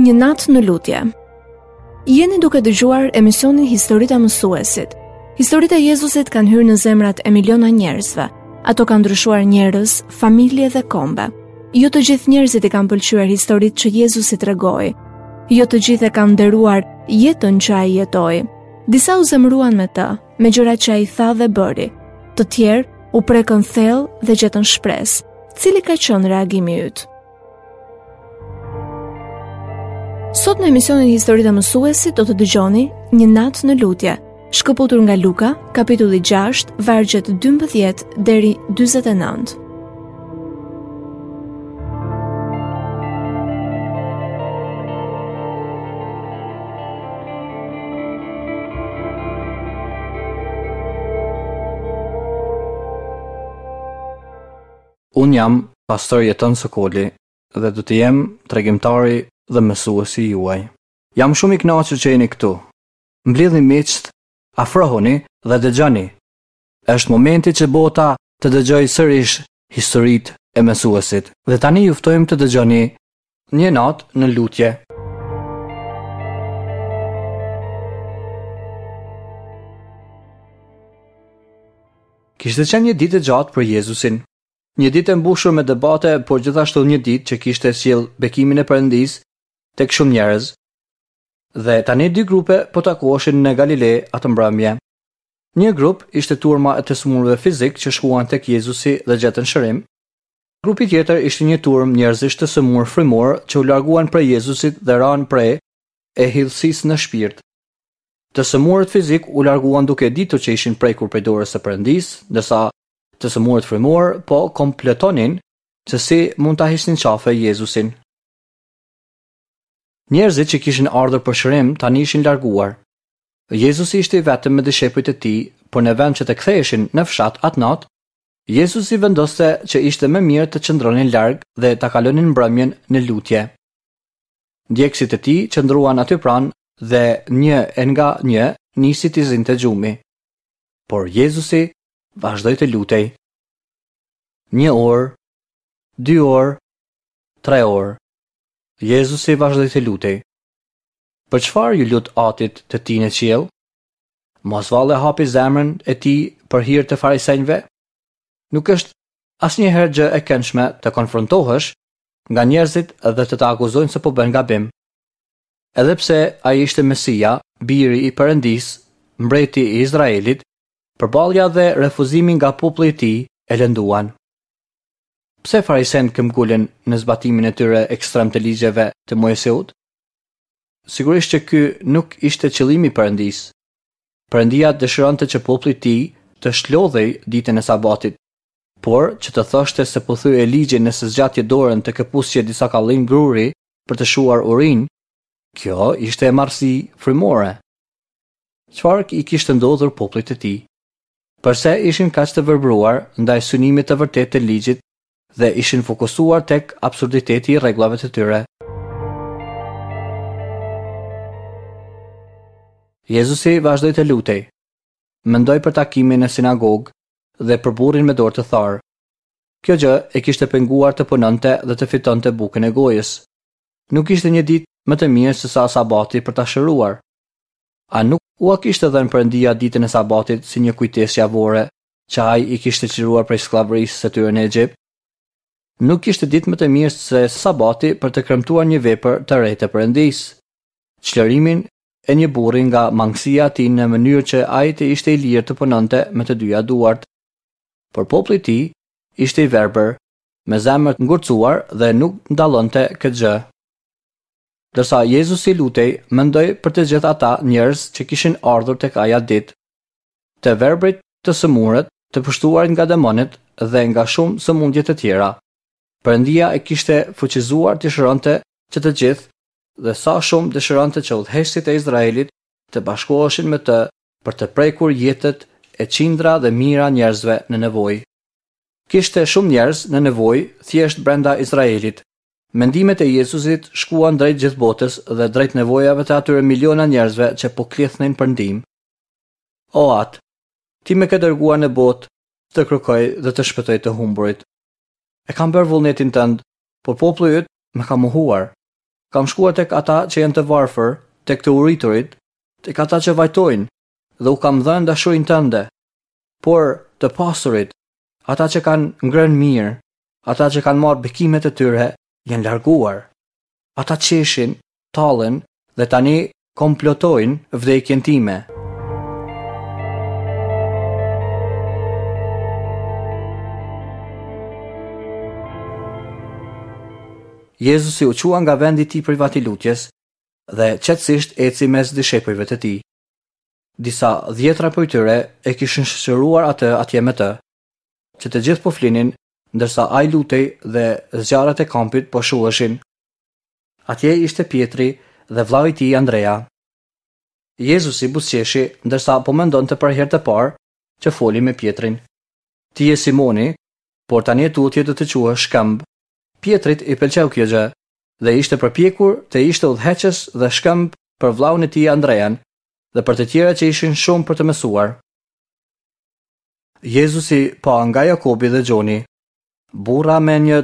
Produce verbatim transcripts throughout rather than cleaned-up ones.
Një natë në lutje. Jeni duke dëgjuar emisionin Historitë e Mësuesit. Historitë e Jezusit kanë hyrë në zemrat e miliona njerëzve. Ato kanë ndryshuar njerëz, familje dhe kombe. Jo të gjithë njerëzit i kanë pëlqyer historitë që Jezusi tregoi. Jo të gjithë e kanë nderuar jetën që ai jetoi. Disa u zemëruan me të, me gjërat që ai tha dhe bëri. Të tjerë u prekën thellë dhe gjetën shpresë. Cili ka qenë reagimi yt? Sot në emisionin Historitë e Mësuesit do të dëgjoni Një natë në lutje, shkëputur nga Luka, kapitulli gjashtë, vargjet dymbëdhjetë deri dyzet e nëntë. Unë jam pastor Jeton Sokoli dhe do të jem tregimtari dhe mësuesi juaj. Jam shumë i kënaqur që jeni këtu. Mblidhni miqtë, afrohuni dhe dëgjoni. Është momenti që bota të dëgjojë sërish historitë e mësuesit. Dhe tani ju ftojmë të dëgjoni Një natë në lutje. Kishte qenë një ditë e gjatë për Jezusin. Një ditë e mbushur me debate, por gjithashtu një ditë që kishte sjell bekimin e Perëndisë tek shumë njerëz. Dhe tani dy grupe po takoheshin në Galile atë mbrëmje. Një grup ishte turma e të sëmurëve fizik që shkuan tek Jezusi dhe gjetën shërim. Grupi tjetër ishte një turmë njerëzish të sëmurë frymor që u larguan prej Jezusit dhe ranë pre e hidhësisë në shpirt. Të sëmurët fizik u larguan duke ditur që ishin prekur prej dorës së Perëndisë, ndërsa të sëmurët frymor po kompletonin se si mund ta hiqnin qafe Jezusin. Njerëzit që kishin ardhur për shërim tani ishin larguar. Jezusi ishte i vetëm me dishepujt e tij, por në vend që të ktheheshin në fshat atë natë, Jezusi vendoste që ishte më mirë të qëndronin larg dhe ta kalonin mbrëmjen në lutje. Ndjekësit e tij qëndruan aty pranë dhe një e nga një nisi t'i zinte gjumi. Por Jezusi vazhdoi të lutej. Një orë, dy orë, tre orë. Jezusi vazhdoi të lutej. Për çfarë ju lut Atit të tij në qiell? Mos vallë e hapi zemrën e tij për hir të farisenjve? Nuk është asnjëherë gjë e këndshme të konfrontohesh nga njerëzit dhe të të akuzojnë se po bën gabim. Edhe pse ai ishte Mesia, biri i Perëndisë, mbreti i Izraelit, përballja dhe refuzimi nga populli i tij e lënduan. Pse farisenët këmbgulën në zbatimin e tyre ekstrem të ligjeve të Moiseut? Sigurisht që ky nuk ishte qëllimi i Perëndisë. Perëndia dëshironte që populli i tij të shlodhej ditën e Sabatit, por që të thoshte se po thyej ligjin nëse zgjatje dorën të këpusje disa kallin gruri për të shuar urinë, kjo ishte e marrësi frymore. Çfarë i kishte ndodhur popullit të tij? Përse ishin kaq të verbruar ndaj synimit të vërtetë të ligjit dhe ishin fokusuar tek absurditeti i rregullave të tyre? Jezusi vazhdoi të lutej. Mendoi për takimin në sinagogë dhe për burrin me dorë të tharë. Kjo gjë e kishte penguar të punonte dhe të fitonte bukën e gojës. Nuk ishte një ditë më të mirë se sa sabati për ta shëruar. A nuk ua kishte dhënë Perëndia ditën e sabatit si një kujtesë javore që ai i kishte çliruar prej skllavërisë së tyre në Egjipt? Nuk kishte ditë më të mirë se sabati për të kremtuar një vepër të re të Perëndisë, çlirimin e një burri nga mangësia e tij në mënyrë që ai të ishte i lirë të punonte me të dyja duart. Por populli i tij ishte i verbër, me zemër të ngurcuar dhe nuk ndallonte këtë gjë. Ndërsa Jezusi lutej, mendoi për të gjithë ata njerëz që kishin ardhur tek ai atë ditë. Të verbrit, të sëmurët, të pushtuarit nga demonët dhe nga shumë sëmundje të tjera. Perëndia e kishte fuqizuar të shëronte që të gjithë dhe sa shumë dëshironte që udhëheqësit e Izraelit të bashkoheshin me të për të prekur jetët e qindra dhe mijëra njerëzve në nevojë. Kishte shumë njerëz në nevojë thjesht brenda Izraelit. Mendimet e Jezusit shkuan drejt gjithë botës dhe drejt nevojave të atyre miliona njerëzve që po klithnin për ndihmë. O At, ti më ke dërguar në botë të kërkoj dhe të shpëtoj të humburit. E kam bërë vullnetin tënd, por populli yt më ka mohuar. Kam shkuar tek ata që janë të varfër, tek të uriturit, tek ata që vajtojnë dhe u kam dhënë dashurinë tënde. Por të pasurit, ata që kanë ngrënë mirë, ata që kanë marrë bekimet e tyre, janë larguar. Ata qeshin, tallen dhe tani komplotojnë vdekjen time. Jezusi u qua nga vendi i tij privat i lutjes dhe qetësisht eci mes dishepujve të tij. Disa dhjetra prej tyre e kishin shoqëruar atë atje me të, që të gjithë po flinin, ndërsa ai lutej dhe zjarret e kampit po shuheshin. Atje ishte Pjetri dhe vëllai i tij Andrea. Jezusi buzëqeshi ndërsa po mendonte për herë të parë që foli me Pjetrin. Ti je Simoni, por tani e tutje do të quhesh Shkëmb. Pjetrit i pëlqeu kjo gjë dhe ishte përpjekur të ishte udhëheqës dhe shkëmb për vllaun e tij Andrean dhe për të tjerë që ishin shumë për të mësuar. Jezusi pa nga Jakobi dhe Gjoni, burra me një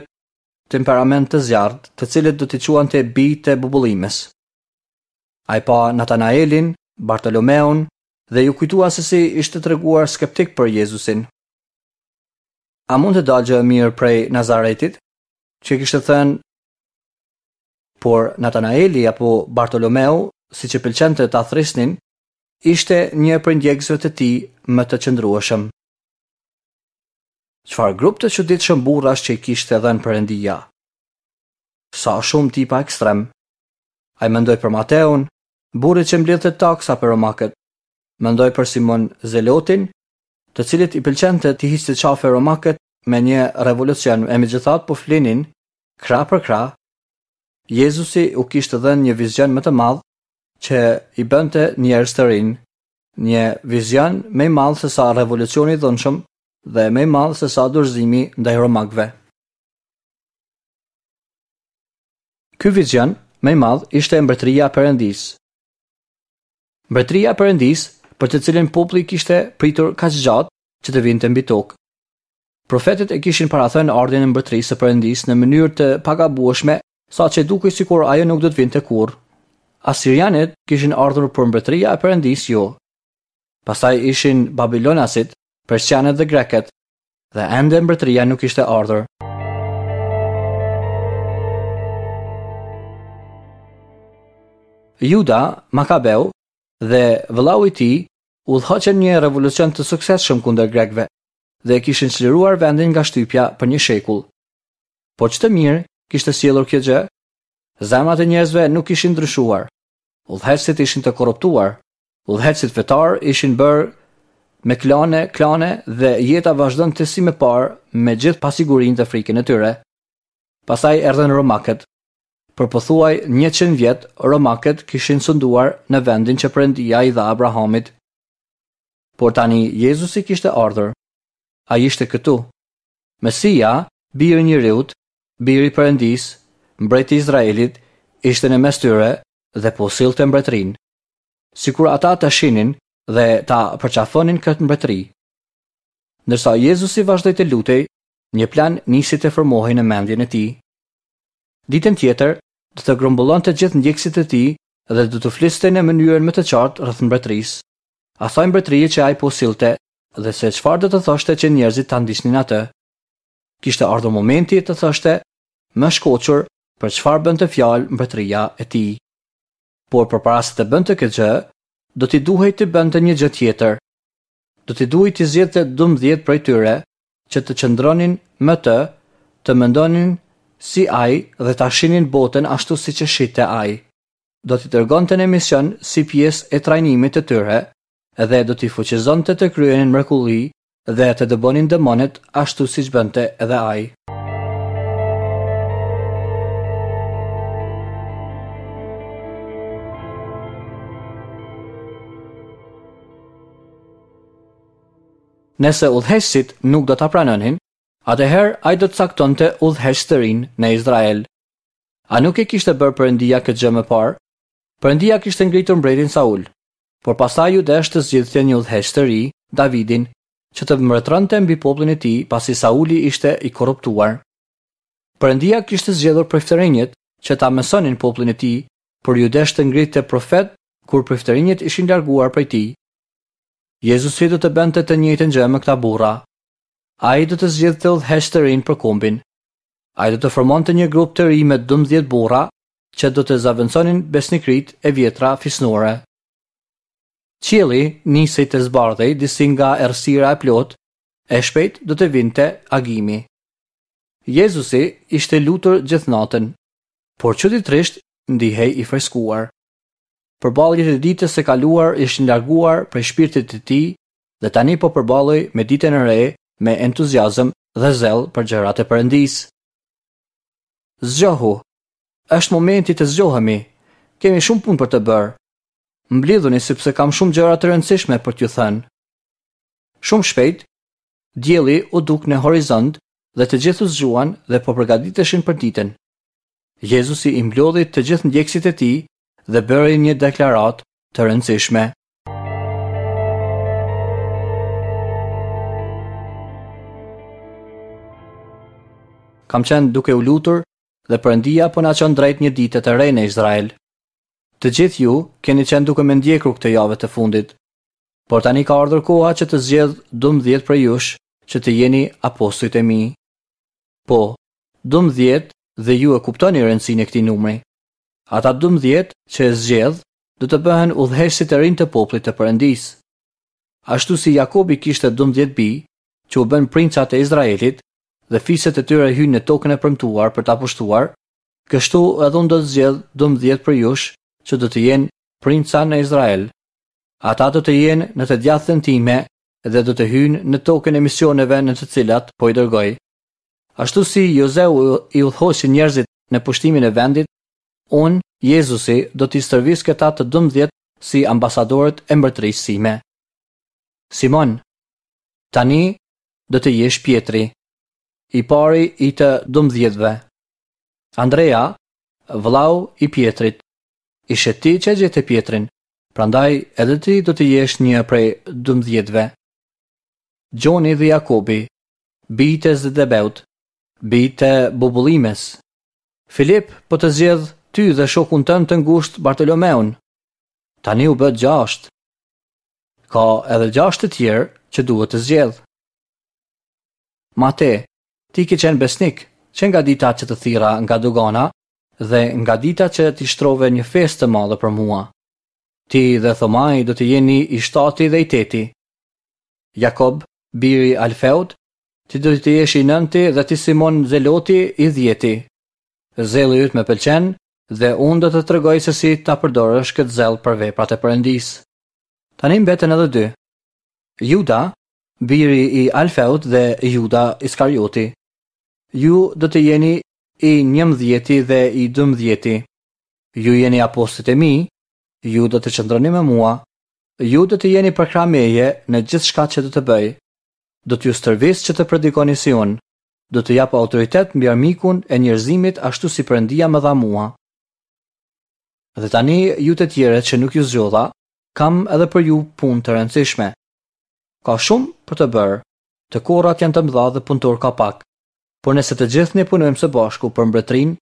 temperament të zjarrt, të cilët do t'i quante bijtë e bubullimës. Ai pa Natanaelin, Bartolomeun dhe ju kujtua se si ishte treguar skeptik për Jezusin. A mund të dalë gjë e mirë prej Nazaretit? Që kishte thënë, por Natanaeli apo Bartolomeu, siç e pëlqente ta thrisnin, ishte një prej ndjekësve të tij më të qëndrueshëm. Çfarë grup të çuditshëm burrash që i kishte dhënë Perëndia? Sa shumë tipa ekstrem. Ai mendoi për Mateun, burri që mblidhte taksa për romakët. Mendoi për Simon Zelotin, të cilit i pëlqente të hiqte qafe romakët me një revolucion, e megjithatë po flinin krah për krah. Jezusi u kishte dhënë një vizion më të madh që i bënte njerëz të rinj, një vizion më i madh se sa revolucioni i dhunshëm dhe më i madh se sa dorëzimi ndaj romakëve. Ky vizion më i madh ishte mbretëria e Perëndisë. Mbretëria e Perëndisë, për të cilën populli kishte pritur kaq gjatë që të vinte mbi tokë. Profetët e kishin parathënë ardhjen e mbretërisë së Perëndisë në mënyrë të pagabueshme, saqë dukej sikur ajo nuk do të vinte kurrë. Asirianët kishin ardhur për mbretëria e Perëndisë jo. Pastaj ishin Babilonasit, Persianët dhe Grekët, dhe ende mbretëria nuk ishte ardhur. Juda Makabeu dhe vëllau i tij udhëhoqën një revolucion të suksesshëm kundër grekëve dhe e kishin çliruar vendin nga shtypja për një shekull. Por ç'të mirë kishte sjellur kjo gjë? Zemrat e njerëzve nuk ishin ndryshuar. Udhëheqësit ishin të korruptuar. Udhëheqësit fetar ishin bërë me klane, klane dhe jeta vazhdonte si më parë me gjithë pasigurinë dhe frikën e tyre. Pastaj erdhën romakët. Për pothuaj njëqind vjet, romakët kishin sunduar në vendin që Perëndia i dha Abrahamit. Por tani Jezusi kishte ardhur. Ai ishte këtu. Mesia, biri i njeriut, biri i Perëndisë, mbreti i Izraelit, ishte në mes tyre dhe po sillte mbretërinë. Sikur ata ta shinin dhe ta përqafonin këtë mbretëri. Ndërsa Jezusi vazhdoi të lutej, një plan nisi të formohej në mendjen e tij. Ditën tjetër do të grumbullonte gjithë ndjekësit e tij dhe do të fliste në mënyrën më të qartë rreth mbretërisë, asaj mbretërie që ai po sillte dhe se çfarë do të thoshte që njerëzit ta ndiqnin atë. Kishte ardhur momenti të thoshte më shkoqur për çfarë bënte fjalë mbretëria e tij. Por përpara se të bënte këtë gjë, do t'i duhej të bënte një gjë tjetër. Do t'i duhej të zgjidhte dymbëdhjetë prej tyre që të qëndronin me të, të mendonin si ai dhe ta shinin botën ashtu siç e shihte ai. Do t'i dërgonte në mision si pjesë e trajnimit të tyre dhe do t'i fuqizonte të kryenin mrekulli dhe të dëbonin demonët ashtu siç bënte edhe ai. Nëse udhëheqësit nuk do ta pranonin, atëherë ai do të caktonte udhëheqës të rinj në Izrael. A nuk e kishte bërë Perëndia këtë gjë më parë? Perëndia kishte ngritur mbretin Saul, por pastaj ju desh të zgjidhte një udhëheqës të ri, Davidin, që të mbretëronte mbi popullin e tij pasi Sauli ishte i korruptuar. Perëndia kishte zgjedhur priftërinjët që ta mësonin popullin e tij, por iu desh të ngritte profet kur priftërinjët ishin larguar prej tij. Jezusi do të bënte të njëjtën gjë me këta burra. Ai do të zgjidhte udhëheqës të rinj për kombin. Ai do të formonte një grup të ri me dymbëdhjetë burra që do të zëvendësonin besnikëritë e vjetra fisnore. Qielli nisi të zbardhej disi nga errësira e plotë, e shpejt do të vinte agimi. Jezusi ishte lutur gjithë natën, por çuditërisht ndihej i freskuar. Përballjet e ditës së kaluar ishin larguar prej shpirtit të tij dhe tani po përballej me ditën e re me entuziazëm dhe zell për gjërat e Perëndisë. Zgjohu. Është momenti të zgjohemi. Kemi shumë punë për të bërë. Mblidhuni sepse kam shumë gjëra të rëndësishme për t'ju thënë. Shumë shpejt, dielli u duk në horizont dhe të gjithë u zgjuan dhe po përgatiteshin për ditën. Jezusi i mblodhi të gjithë ndjekësit e tij dhe bëri një deklaratë të rëndësishme. Kam qenë duke u lutur dhe Perëndia po na çon drejt një dite të re në Izrael. Të gjithë ju keni qenë duke më ndjekur këtë javë të fundit. Por tani ka ardhur koha që të zgjedh dymbëdhjetë prej jush që të jeni apostujt e mi. Po, dymbëdhjetë dhe ju e kuptoni rëndësinë e këtij numri. Ata dymbëdhjetë që e zgjedh do të bëhen udhëheqësit e rinj të popullit të Perëndisë. Ashtu si Jakobi kishte dymbëdhjetë bij, që u bën princat e Izraelit dhe fiset e tyre hynë në tokën e premtuar për ta pushtuar, kështu edhe unë do të zgjedh dymbëdhjetë prej jush që do të jenë princa në Izrael. Ata do të jenë në të djathtën time dhe do të hyjnë në tokën e misioneve në të cilat po i dërgoj. Ashtu si Jozeu i udhëhoqi njerëzit në pushtimin e vendit, unë, Jezusi, do t'i stërvis këta të dymbëdhjetë si ambasadorët e mbretërisë sime. Simon, tani do të jesh Pjetri, i pari i të dymbëdhjetëve. Andrea, vëllau i Pjetrit, ishe ti që e gjete Pjetrin, prandaj edhe ti do të jesh një prej dymbëdhjetëve. Gjoni dhe Jakobi, bijtë e Zebedeut, bijtë e Bubullimës. Filip po të zgjedh ty dhe shokun tënd të ngushtë Bartolomeun. Tani u bë gjashtë. Ka edhe gjashtë të tjerë që duhet të zgjedh. Mate, ti ke qenë besnik që nga dita që të thira nga dogana dhe nga dita që ti shtrove një festë të madhe për mua. Ti dhe Thomai do të jeni i shtati dhe i teti. Jakob, biri Alfeut, ti do të jesh i nënti dhe ti Simon Zeloti i dhjeti. Zelli yt më pëlqen dhe unë do të tregoj se si ta përdorësh këtë zell për veprat e Perëndisë. Tani mbeten edhe dy. Juda, biri i Alfeut dhe Juda Iskarioti. Ju do të jeni i njëmbëdhjeti dhe i dymbëdhjeti. Ju jeni apostujt e mi, ju do të qëndroni me mua, ju do të jeni përkrah meje në gjithçka që do të bëj. Do t'ju stërvis që të predikoni si unë, do të jap autoritet mbi armikun e njerëzimit ashtu si Perëndia më dha mua. Dhe tani ju të tjerët që nuk ju zgjodha, kam edhe për ju punë të rëndësishme. Ka shumë për të bërë, të korrat janë të mëdha dhe punëtor ka pak. Por nëse të gjithë ne punojmë së bashku për mbretërinë,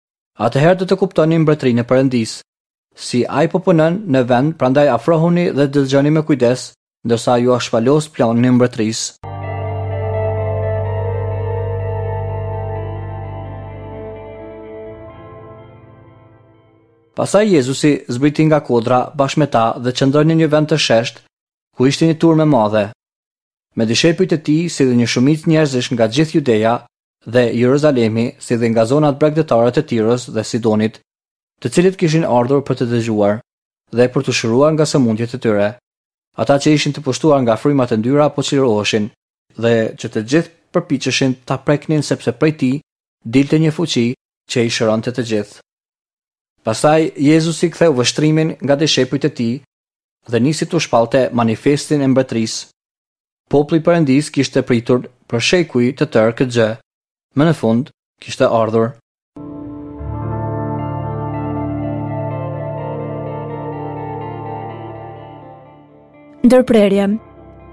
atëherë do të kuptoni mbretërinë e Perëndisë. Si ai po punon në vend, prandaj afrohuni dhe dëgjoni me kujdes, ndërsa ju shpalos planin e mbretërisë. Pastaj Jezusi zbriti nga kodra bashkë me ta dhe qëndroi në një vend të shesht, ku ishte një turmë e madhe. Me dishepujt e tij, si dhe një shumicë njerëzish nga gjithë Judeja dhe Jeruzalemi, si dhe nga zonat bregdetare të Tirës dhe Sidonit, të cilët kishin ardhur për të dëgjuar dhe për t'u shëruar nga sëmundjet e tyre. Ata që ishin të pushtuar nga frymat e ndyra po çliroheshin dhe që të gjithë përpiqeshin ta preknin sepse prej tij dilte një fuqi që i shëronte të gjithë. Pastaj Jezusi ktheu vështrimin nga dishepujt e tij dhe nisi t'u shpallte manifestin e mbretërisë. Populli i Perëndisë kishte pritur për shekuj të tërë këtë gjë. Më në fund kishte ardhur. Ndërprerje.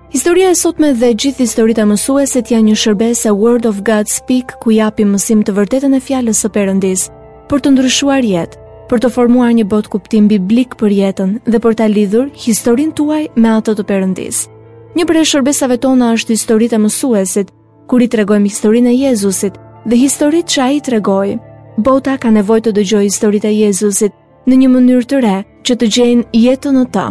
Historia e sotme dhe gjithë historitë e mësuesit janë një shërbesë e Word of God Speak ku japim mësim të vërtetën e fjalës së Perëndisë. për të ndryshuar jetë, për të formuar një botëkuptim biblik për jetën dhe për ta lidhur historinë tuaj me atë të Perëndisë. Një prej shërbesave tona është historitë e mësuesit, kur i tregojmë historinë e Jezusit dhe historitë që ai tregoi. Bota ka nevojë të dëgjojë historitë e Jezusit në një mënyrë të re, që të gjejnë jetën në të.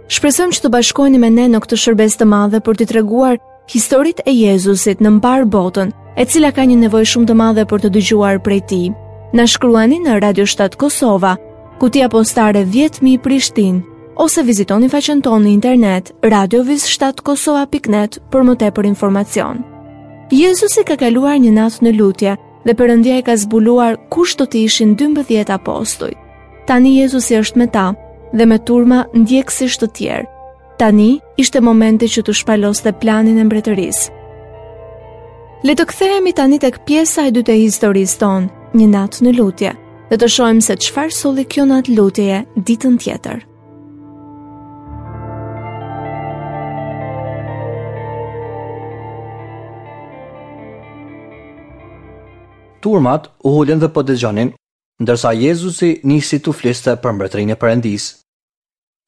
Shpresojmë që të bashkoheni me ne në këtë shërbesë të madhe për t'i treguar historitë e Jezusit në mbarë botën, e cila ka një nevojë shumë të madhe për të dëgjuar prej tij. Na shkruani në Radio shtatë Kosova, kutia postare dhjetë mijë Prishtinë, ose vizitoni faqen tonë në internet radioviz shtatë kosova pikë net për më tepër informacion. Jezusi ka kaluar një natë në lutje dhe Perëndia i ka zbuluar kush do të ishin dymbëdhjetë apostujt. Tani Jezusi është me ta dhe me turma ndjekësish të tjerë. Tani ishte momenti që të shpaloste planin e mbretërisë. Le të kthehemi tani tek pjesa e dytë e historisë tonë, një natë në lutje, dhe të shohim se çfarë solli kjo natë lutjeje ditën tjetër. Turmat u ulën dhe po dëgjonin, ndërsa Jezusi nisi t'u fliste për mbretërinë e Perëndisë.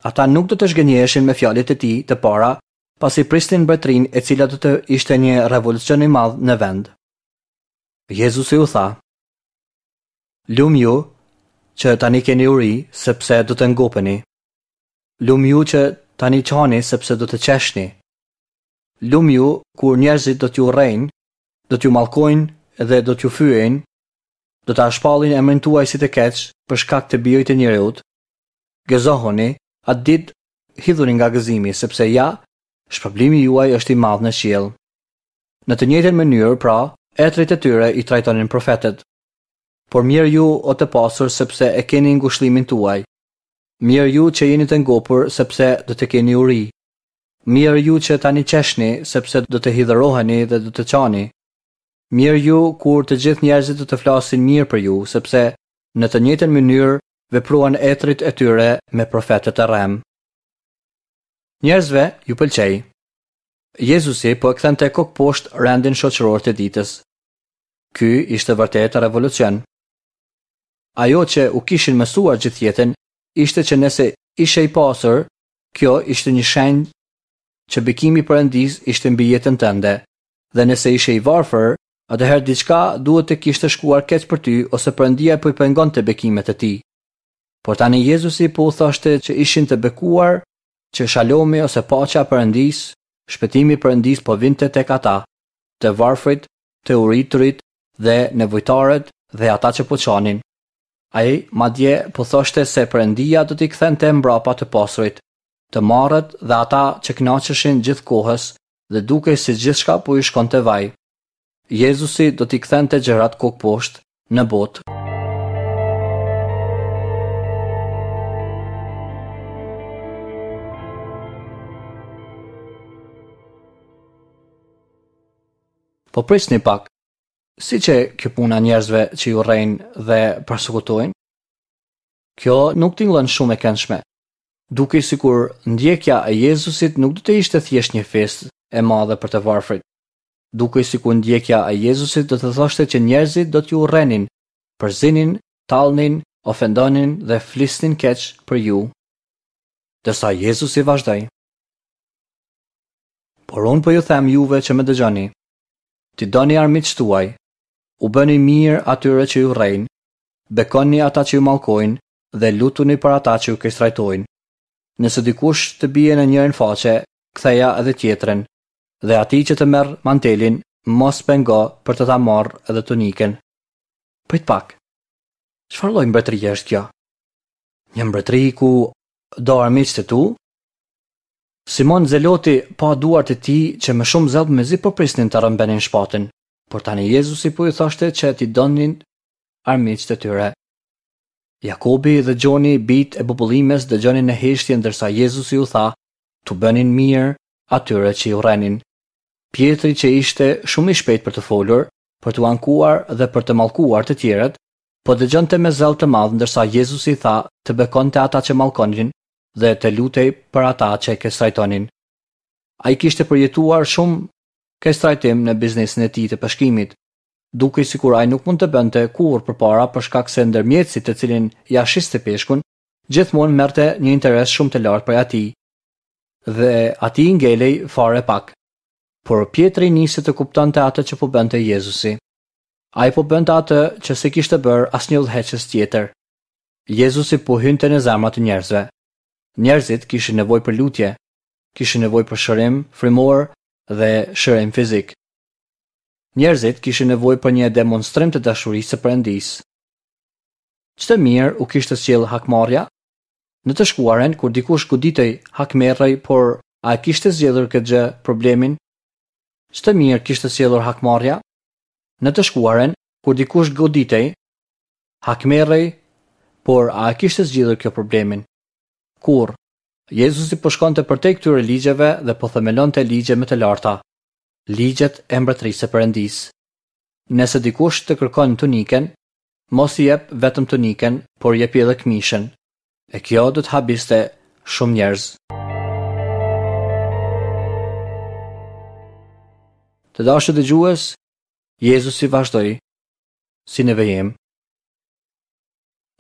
Ata nuk do të zhgënjeheshin me fjalët e tij të para, pasi prisnin mbretërinë e cila do të ishte një revolucion i madh në vend. Jezusi u tha: Lum ju që tani keni uri, sepse do të ngopeni. Lum ju që tani qani, sepse do të qeshni. Lum ju kur njerëzit do t'ju urrejnë, do t'ju mallkojnë dhe do t'ju fyejnë, do ta shpallin emrin tuaj si të keq për shkak të birit të njeriut. Gëzohuni, atë ditë hidhuni nga gëzimi, sepse ja, shpërblimi juaj është i madh në qiell. Në të njëjtën mënyrë, pra, etrit e tyre i trajtonin profetët. Por mirë ju o të pasur, sepse e keni ngushëllimin tuaj. Mirë ju që jeni të ngopur, sepse do të keni uri. Mirë ju që tani qeshni, sepse do të hidhëroheni dhe do të qani. Mirë ju kur të gjithë njerëzit do të flasin mirë për ju, sepse në të njëjtën mënyrë vepruan etrit e tyre me profetët e rrem. Njerëzve ju pëlqej. Jezusi po e kthente kokë poshtë rendin shoqëror të ditës. Ky ishte vërtet revolucion. Ajo që u kishin mësuar gjithë jetën ishte që nëse ishe i pasur, kjo ishte një shenjë që bekimi i Perëndisë ishte mbi jetën tënde, dhe nëse ishe i varfër, atëherë diçka duhet të kishte shkuar keq për ty ose Perëndia po i pengonte bekimet e tij. Por tani Jezusi po u thoshte që ishin të bekuar, që shalomi ose paqja e Perëndisë, shpëtimi i Perëndisë po vinte tek ata, të varfrit, të uriturit dhe nevojtarët dhe ata që po qanin. Ai madje po thoshte se Perëndia do t'i kthente mbrapa të pasurit, të marrët dhe ata që kënaqeshin gjithkohës dhe dukej se gjithçka po i shkonte vaj. Jezusi do t'i kthente gjërat kokë poshtë në botë. Po prisni pak, si që kjo puna njerëzve që ju rrejnë dhe persekutojnë? Kjo nuk tingëllon shumë e këndshme. Dukej sikur ndjekja e Jezusit nuk do të ishte thjesht një festë e madhe për të varfrit. Dukej sikur ndjekja e Jezusit do të thoshte që njerëzit do t'ju urrenin, përzinin, tallnin, ofendonin dhe flisnin keq për ju. Ndërsa Jezusi vazhdoi: Por unë po ju them juve që më dëgjoni, ti doni armiqtë tuaj, u bëni mirë atyre që ju rrejnë, bekoni ata që ju mallkojnë dhe lutuni për ata që ju keqtrajtojnë. Nëse dikush të bie në njërin faqe, ktheja edhe tjetrën, dhe atij që të merr mantelin, mos pengo për të ta marrë edhe tunikën. Prit pak. Çfarë lloj mbretërie është kjo? Një mbretëri ku do armiqtë e tu? Simon Zeloti pa duart e tij që me shumë zell mezi po prisnin të rrëmbenin shpatën, por tani Jezusi po ju thoshte që t'i donin armiqtë e tyre. Jakobi dhe Gjoni, bijtë e bubullimës, dëgjonin në heshtje ndërsa Jezusi u tha t'u bënin mirë atyre që i urrenin. Pjetri, që ishte shumë i shpejt për të folur, për t'u ankuar dhe për të mallkuar të tjerët, po dëgjonte me zell të madh ndërsa Jezusi tha të bekonte ata që mallkonin dhe të lutej për ata që e keqtrajtonin. Ai kishte përjetuar shumë keqtrajtim në biznesin e tij të peshkimit. Dukej sikur ai nuk mund të bënte kurrë përpara për shkak se ndërmjetësi të cilin ia shiste peshkun, gjithmonë merrte një interes shumë të lartë prej atij. Dhe atij i ngelej fare pak. Por Pjetri nisi të kuptonte atë që po bënte Jezusi. Ai po bënte atë që s'e kishte bërë asnjë udhëheqës tjetër. Jezusi po hynte në zemrat e njerëzve. Njerëzit kishin nevojë për lutje, kishin nevojë për shërim frymor dhe shërim fizik. Njerëzit kishin nevojë për një demonstrim të dashurisë së Perëndisë. Ç'të mirë u kishte sjellë hakmarrja? Në të shkuarën, kur dikush goditej, hakmerrej, por a e kishte zgjidhur këtë gjë problemin? Ç'të mirë kishte sjellur hakmarrja? Në të shkuarën, kur dikush goditej, hakmerrej, por a e kishte zgjidhur kjo problemin? Kurrë. Jezusi po shkonte përtej këtyre ligjeve dhe po themelonte ligje më të larta, ligjet e mbretërisë së Perëndisë. Nëse dikush të kërkon tunikën, mos i jep vetëm tunikën, por jepi edhe këmishën. E kjo do të habiste shumë njerëz. Të dashur dëgjues, Jezusi vazhdoi si në vijim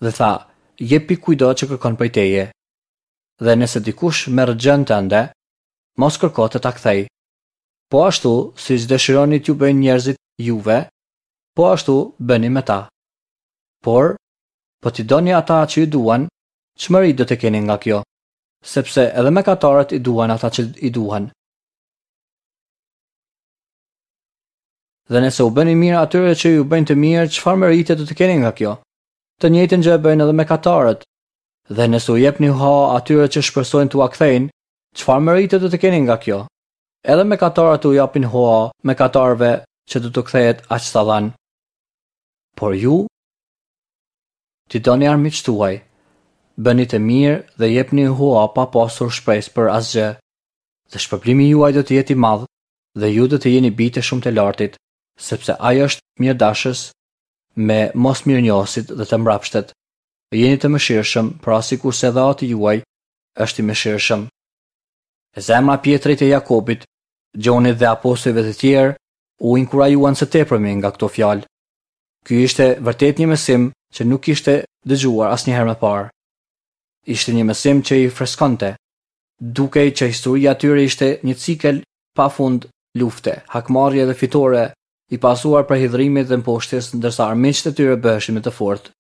dhe tha, jepi kujdo që kërkon prej teje. Dhe nëse dikush merr gjën tënde, mos kërko të ta kthej. Po ashtu, siç dëshironi t'ju bëjnë njerëzit juve, po ashtu bëni me ta. Por, po t'i doni ata që ju duan, ç'mëri do të keni nga kjo? Sepse edhe mëkatarët i duan ata që i duan. Dhe nëse u bëni mirë atyre që ju bëjnë të mirë, çfarë mërite do të keni nga kjo? Të njëjtën gjë bëjnë edhe mëkatarët. Dhe nëse u jepni hua atyre që shpresojnë t'ua kthejnë, çfarë mërite do të keni nga kjo? Edhe mëkatarët u japin hua mëkatarëve që do t'u kthehet aq sa dhanë. Por ju, t'i doni armiqtë tuaj, bëni të mirë dhe jepni hua pa pasur shpresë për asgjë, dhe shpërblimi juaj do të jetë i madh, dhe ju do të jeni bijtë e shumë të lartit, sepse ai është mirëdashës me mosmirënjohësit dhe të mbrapshtët. Jeni të mëshirshëm, pra sikurse edhe Ati juaj është i mëshirshëm. Zemra e Pjetrit e Jakobit, Gjonit dhe apostujve të tjerë u inkurajuan së tepërmi nga këto fjalë. Ky ishte vërtet një mësim që nuk kishte dëgjuar asnjëherë më parë. Ishte një mësim që i freskonte. Dukej që historia e tyre ishte një cikël pafund lufte, hakmarrje dhe fitore, i pasuar prej hidhrimit dhe mposhtjes, ndërsa armiqtë e tyre bëheshin më të fortë.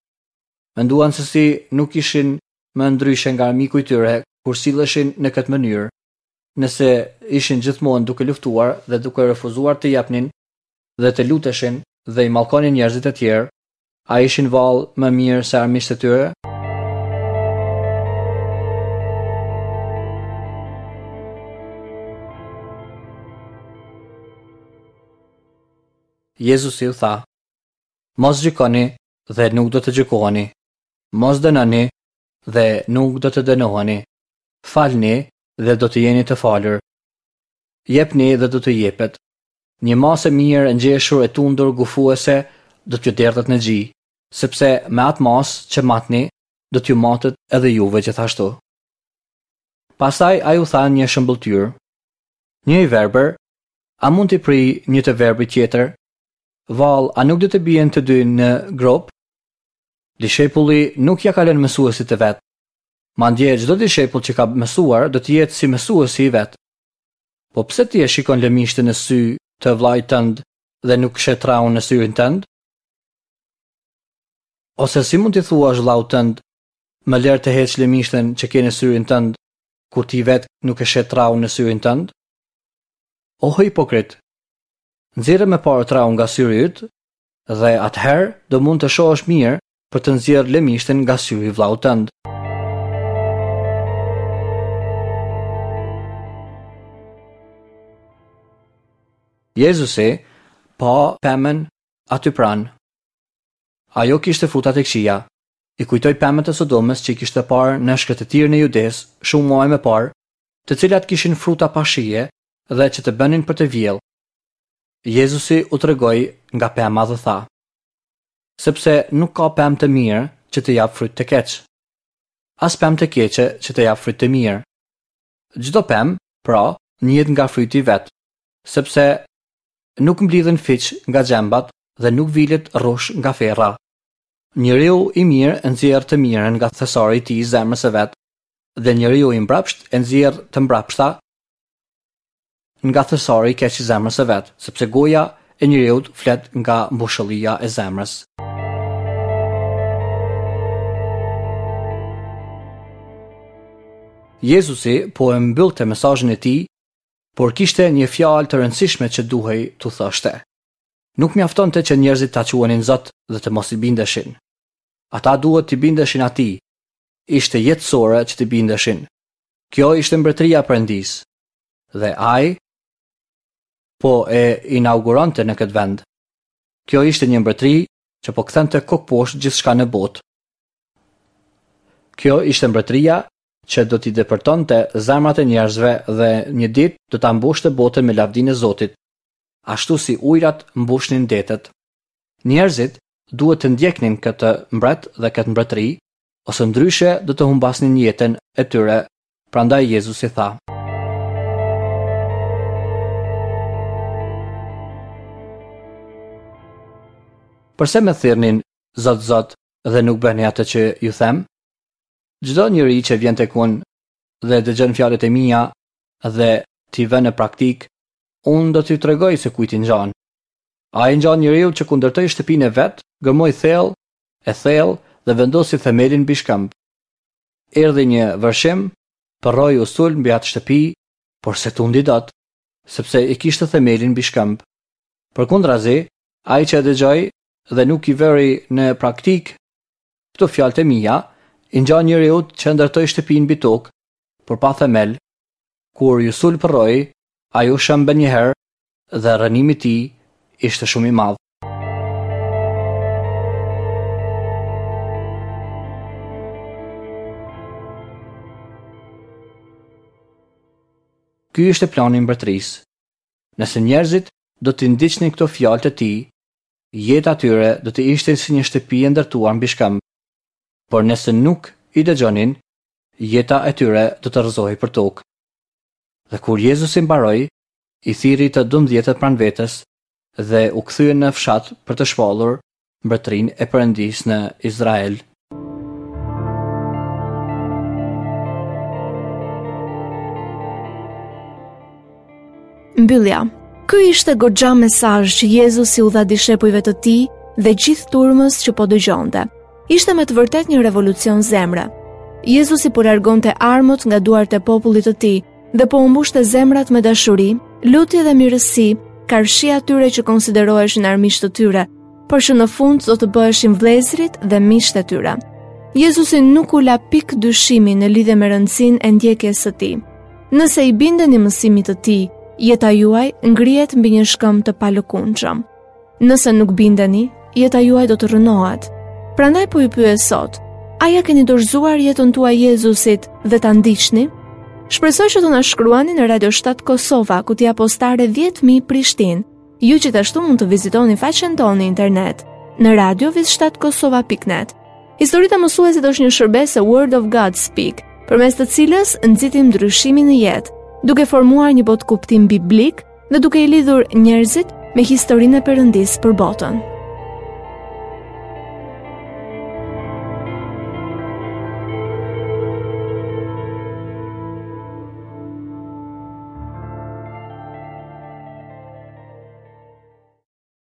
Menduan se si nuk ishin më ndryshe nga armiku i tyre kur silleshin në këtë mënyrë, nëse ishin gjithmonë duke luftuar dhe duke refuzuar të jepnin dhe të luteshin dhe i mallkonin njerëzit e tjerë, a ishin vallë më mirë se armiqtë e tyre? Jezusi u tha, mos gjykoni dhe nuk do të gjykoheni, mos dënoni dhe nuk do të dënoheni, falni dhe do të jeni të falur, jepni dhe do të jepet. Një masë e mirë e ngjeshur e tundur gufuese do t'ju derdhet në gji, sepse me atë masë që matni, do t'ju matet edhe juve gjithashtu. Pastaj ai u tha një shëmbëlltyrë. Një i verbër, a mund t'i prij një të verbrit tjetër? Vallë, a nuk do të bien të dy në gropë? Dishepulli nuk ja kalon mësuesit të vet. Madje çdo dishepull që ka mësuar do të jetë si mësuesi i vet. Po pse ti e shikon lëmishtën në sy të vllait tënd dhe nuk sheh traun në syrin tënd? Ose si mund t'i thuash vllaut tënd, më lër të heq lëmishtën që ke në syrin tënd, kur ti vet nuk e sheh traun në syrin tënd? O hipokrit, nxjerrë më parë traun nga syri yt, dhe atëherë do mund të shohësh mirë për të nxjerrë lëmishtën nga syri i vllaut tënd. Jezusi pa pemën aty pranë. Ajo kishte fruta të këqija. I kujtoi pemët e Sodomës që i kishte parë në shkretëtirën e Judes shumë muaj më parë, të cilat kishin fruta pa shije dhe që të bënin për të vjellë. Jezusi u tregoi nga pema dhe tha, sepse nuk ka pemë të mirë që të japë fryt të keq, as pemë të keqe që të japë fryt të mirë. Çdo pemë, pra, njihet nga fryti i vet, sepse nuk mblidhen fiq nga gjembat dhe nuk vilet rrush nga ferra. Njeriu i mirë e nxjerr të mirën nga thesari i tij i zemrës së vet, dhe njeriu i mbrapsht e nxjerr të mbrapshta nga thesari i keq i zemrës së vet, sepse goja e njeriut flet nga mbushullia e zemrës. Jezusi po e mbyllte mesazhin e tij, por kishte një fjalë të rëndësishme që duhej t'u thoshte. Nuk mjaftonte që njerëzit ta quanin Zot dhe të mos i bindeshin. Ata duhet t'i bindeshin atij. Ishte jetësore që t'i bindeshin. Kjo ishte mbretëria e Perëndisë. Dhe ai po e inauguronte në këtë vend. Kjo ishte një mbretëri që po kthente kokposhtë gjithçka në botë. Kjo ishte mbretëria që do t'i depërtonte zemrat e njerëzve dhe një ditë do ta mbushte botën me lavdinë e Zotit, ashtu si ujrat mbushnin detet. Njerëzit duhet të ndjeknin këtë mbret dhe këtë mbretëri, ose ndryshe do të humbasnin jetën e tyre, prandaj Jezusi tha: Përse më thirrnin Zot, Zot dhe nuk bëni atë që ju them? Çdo njeri që vjen tek unë dhe dëgjon fjalët e mia dhe t'i vë në praktikë, unë do t'ju tregoj se kujt i ngjan. Ai ngjan njeriu që kur ndërtoi shtëpinë e vet, gërmoi thellë e thellë dhe vendosi themelin mbi shkëmb. Erdhi një vërshim, përroi u sul mbi atë shtëpi, por s'e tundi dot, sepse i kishte themelin mbi shkëmb. Përkundrazi, ai që e dëgjoi dhe nuk i vëri në praktikë këto fjalët e mia, i ngjan njeriut që ndërtoi shtëpinë mbi tokë, por pa themel. Kur ju sul përroi, ai u shemb njëherë dhe rrënimi i tij ishte shumë i madh. Ky ishte plani i mbretërisë. Nëse njerëzit do t'i ndiqnin këto fjalë të tij, jeta e tyre do të ishte si një shtëpi e ndërtuar mbi shkëmb. Por nëse nuk i dëgjonin, jeta e tyre do të rrëzohej për tokë. Dhe kur Jezusi mbaroi, i thirri të dymbëdhjetët pranë vetes dhe u kthyen në fshat për të shpallur mbretërinë e Perëndisë në Izrael. Mbyllja. Ky ishte goxha mesazh që Jezusi u dha dishepujve të tij dhe gjithë turmës që po dëgjonte. Ishte me të vërtetë një revolucion zemre. Jezusi po largonte armët nga duart e popullit të tij dhe po u mbushte zemrat me dashuri, lutje dhe mirësi, karshi atyre që konsideroheshin armiq të tyre, por që në fund do të bëheshin vëllezërit dhe miqtë e tyre. Jezusi nuk u la pikë dyshimi në lidhje me rëndësinë e ndjekjes së tij. Nëse i bindeni mësimit të tij, jeta juaj ngrihet mbi një shkëmb të palëkundshëm. Nëse nuk bindeni, jeta juaj do të rrënohet. Prandaj po ju pyes sot, a ja keni dorëzuar jetën tuaj Jezusit dhe ta ndiqni? Shpresoj që të na shkruani në Radio shtatë Kosova, kutia postare dhjetë mijë Prishtinë. Ju gjithashtu mund të vizitoni faqen tonë në internet në radio shtatë kosova pikë net. Historitë e mësuesit është një shërbesë e Word of God Speak, përmes të cilës nxitim ndryshimin në jetë, duke formuar një botëkuptim biblik dhe duke i lidhur njerëzit me historinë e Perëndisë për botën.